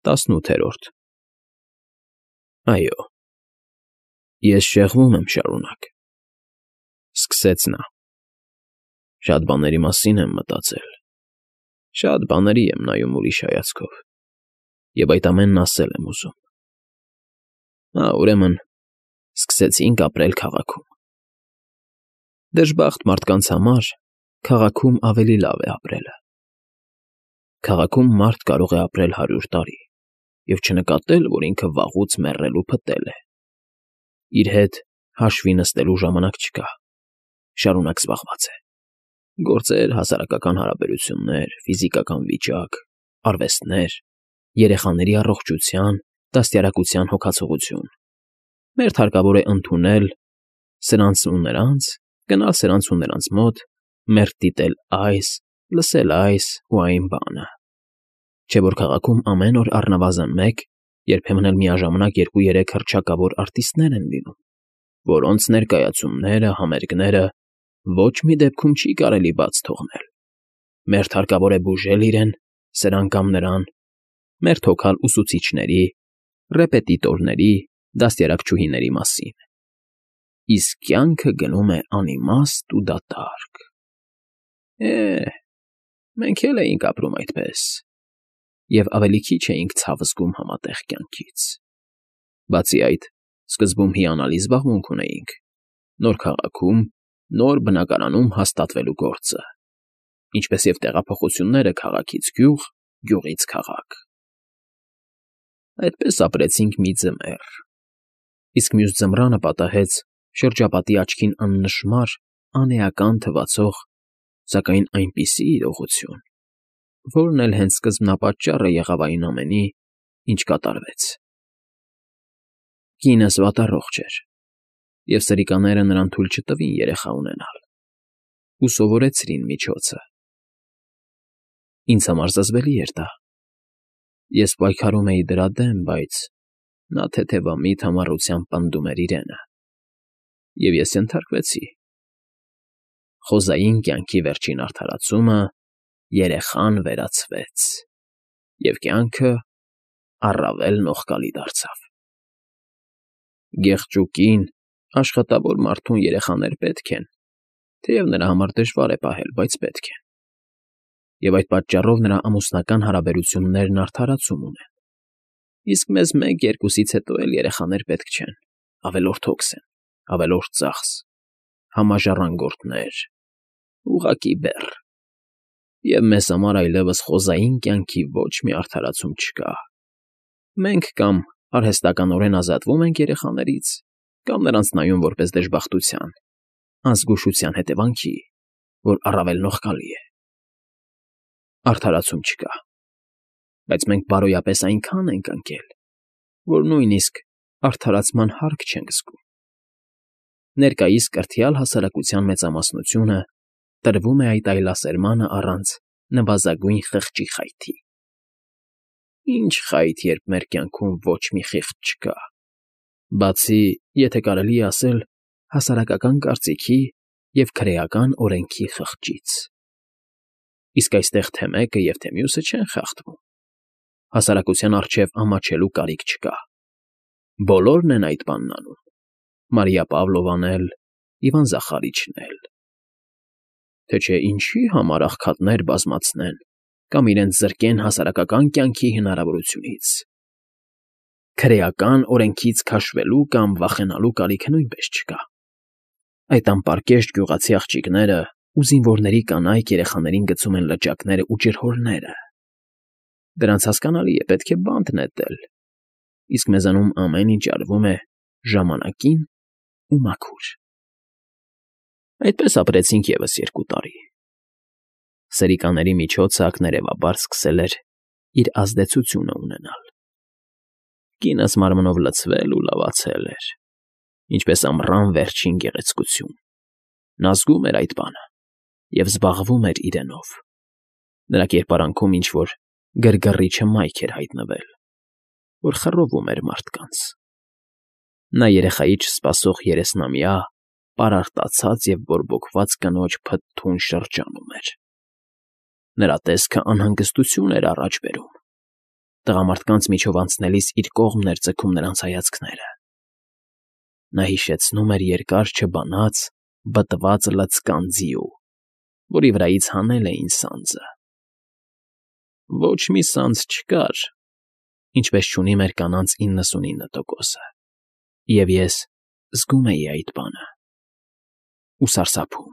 ՏԱՍՆՈՒԹԵՐՈՐԴ Այո, ես շեղվում եմ շարունակ,֊ սկսեց նա։֊ Շատ բաների մասին եմ մտածել, շատ բաների եմ նայում ուրիշ հայացքով և այդ ամենն ասել եմ ուզում… Ուրեմն, սկսեցինք ապրել քաղաքում… Դժբախտ մարդկանց համար քաղաքում ավելի լավ է ապրելը… Քաղաքում մարդ կարող է ապրել 100 տարի և չնկատել, որ ինքը վաղուց մեռել ու փտել է… Իր հետ հաշվի նստելու ժամանակ չկա, շարունակ զբաղված է… Գործեր, հասարակական հարաբերություններ, ֆիզիկական վիճակ, արվեստներ, երեխաների առողջության, դաստիարակության հոգացողություն… Մերթ հարկավոր է ընդունել սրանց ու նրանց, գնալ սրանց ու նրանց մոտ, մերթ դիտել այս, լսել այս ու այն բանը… Չէ որ քաղաքում ամեն օր առնվազն մեկ, երբեմն էլ միաժամանակ 2-3 հռչակավոր արտիստներ են լինում, որոնց ներկայացումները, համերգները ոչ մի դեպքում չի կարելի բաց թողնել… Մերթ հարկավոր է բուժել իրեն, սրան կամ նրան, մերթ հոգալ ուսուցիչների, ռեպետիտորների, դաստիարակչուհիների մասին… Իսկ կյանքը գնում է անիմաստ ու դատարկ… Մենք էլ էինք ապրում այդպես և ավելի քիչ էինք ցավ զգում համատեղ կյանքից… Բացի այդ, սկզբում հիանալի զբաղմունք ունեինք՝ նոր քաղաքում, նոր բնակարանում հաստատվելու գործը, ինչպես և տեղափոխությունները քաղաքից գյուղ, գյուղից քաղաք… Այդպես ապրեցինք մի ձմեռ, իսկ մյուս ձմռանը պատահեց շրջապատի աչքին աննշմար, անէական թվացող, սակայն այնպիսի իրողություն, որն էլ հենց սկզբնապատճառը եղավ այն ամենի, ինչ կատարվեց… Կինս վատառողջ էր, և սրիկաները նրան թույլ չտվին երեխա ունենալ ու սովորեցրին միջոցը… Ինձ համար զզվելի էր դա… Ես պայքարում էի դրա դեմ, բայց նա թեթևամիտ համառությամբ պնդում էր իրենը… Եվ ես ենթարկվեցի… Խոզային կյանքի վերջին արդարացումը երեխան վերացվեց, և կյանքը առավել նողկալի դարձավ… Գեղձ ու կին, աշխատավոր մարդուն երեխաներ պետք են, թեև նրա համար դժվար է պահել, բայց պետք են… Եվ այդ պատճառով նրա ամուսնական հարաբերություններն արդարացում ունեն… Իսկ մեզ մեկ֊երկուսից հետո էլ երեխաներ պետք չեն, ավելորդ հոգս են, ավելորդ ծախս, համաժառանգորդներ, ուղղակի բեռ… Եվ մեզ համար այլևս խոզային կյանքի ոչ մի արդարացում չկա… Մենք կամ արհեստականորեն ազատվում ենք երեխաներից, կամ նրանց նայում որպես դժբախտության, անզգուշության հետևանքի, որ առավել նողկալի է… Արդարացում չկա… Բայց մենք բարոյապես այնքան ենք ընկել, որ նույնիսկ արդարացման հարկ չենք զգում… Ներկայիս կրթյալ հասարակության մեծամասնությունը տրվում է այդ այլասերմանը առանց նվազագույն խղճի խայթի… Ի՜նչ խայթ, երբ մեր կյանքում ոչ մի խիղճ չկա, բացի, եթե կարելի է ասել, հասարակական կարծիքի և քրեական օրենքի խղճից… Իսկ այստեղ թե մեկը և թե մյուսը չեն խախտվում… Հասարակության առջև ամաչելու կարիք չկա… Բոլորն են այդ բանն անում, Մարիա Պավլովան էլ, Իվան Զախարիչն էլ… Թե չէ ինչի համար աղքատներ բազմացնեն կամ իրենց զրկեն հասարակական կյանքի հնարավորությունից… Քրեական օրենքից քաշվելու կամ վախենալու կարիքը նույնպես չկա… Այդ անպարկեշտ գյուղացի աղջիկները ու զինվորների կանայք երեխաներին գցում են լճակները ու ջրհորները… Դրանց, հասկանալի է, պետք է բանտ նետել, իսկ մեզանում ամեն ինչ արվում է ժամանակին ու մաքուր… Այդպես ապրեցինք ևս 2 տարի… Սրիկաների միջոցը ակներևաբար սկսել էր իր ազդեցությունը ունենալ… Կինս մարմնով լցվել ու լավացել էր, ինչպես ամռան վերջին գեղեցկություն… Նա զգում էր այդ բանը և զբաղվում էր իրենով… Նրա կերպարանքում ինչ֊որ գրգռիչը մայք էր հայտնվել, որ խռովում էր մարդկանց… Նա երեխայի չսպասող 30-ամյա պարարտացած և բորբոքված կնոջ փթթուն շրջանում էր… Նրա տեսքը անհանգստություն էր առաջ բերում… Տղամարդկանց միջով անցնելիս իր կողմն էր ձգում նրանց հայացքները։ Նա հիշեցնում էր երկար չբանած, բտված լցկան ձիու, որի վրայից հանել էին սանձը։ Ոչ մի սանձ չկար, ինչպես չունի մեր կանանց 99%-ը, և ես զգում էի այդ բանը ու սարսափում։